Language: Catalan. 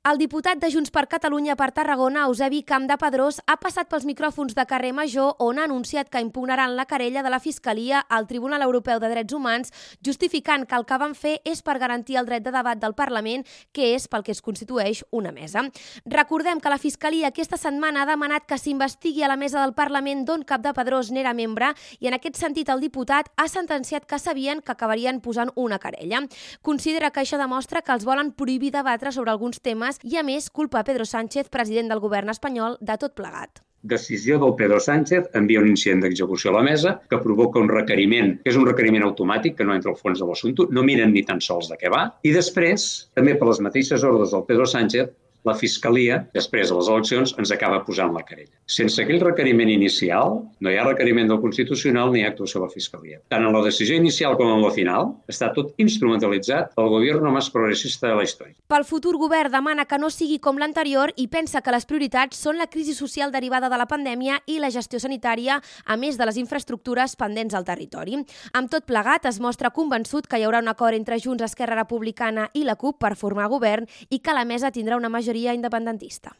El diputat de Junts per Catalunya per Tarragona, Eusebi Campdepadrós, ha passat pels micròfons de Carrer Major on ha anunciat que impugnaran la querella de la Fiscalia al Tribunal Europeu de Drets Humans, justificant que el que van fer és per garantir el dret de debat del Parlament, que és pel que es constitueix una mesa. Recordem que la Fiscalia aquesta setmana ha demanat que s'investigui a la mesa del Parlament d'on Campdepadrós n'era membre i en aquest sentit el diputat ha sentenciat que sabien que acabarien posant una querella. Considera que això demostra que els volen prohibir debatre sobre alguns temes i, a més, culpa a Pedro Sánchez, president del govern espanyol, de tot plegat. Decisió del Pedro Sánchez, envia un incident d'execució a la mesa que provoca un requeriment, que és un requeriment automàtic, que no entra al fons de l'assumpte, no miren ni tan sols de què va, i després, també per les mateixes ordres del Pedro Sánchez, la Fiscalia, després de les eleccions, ens acaba posant la querella. Sense aquell requeriment inicial, no hi ha requeriment del Constitucional ni actuació de la Fiscalia. Tant en la decisió inicial com en la final, està tot instrumentalitzat pel govern més progressista de la història. Pel futur govern demana que no sigui com l'anterior i pensa que les prioritats són la crisi social derivada de la pandèmia i la gestió sanitària, a més de les infraestructures pendents al territori. Amb tot plegat, es mostra convençut que hi haurà un acord entre Junts, Esquerra Republicana i la CUP per formar govern i que la mesa tindrà una majoria independentista.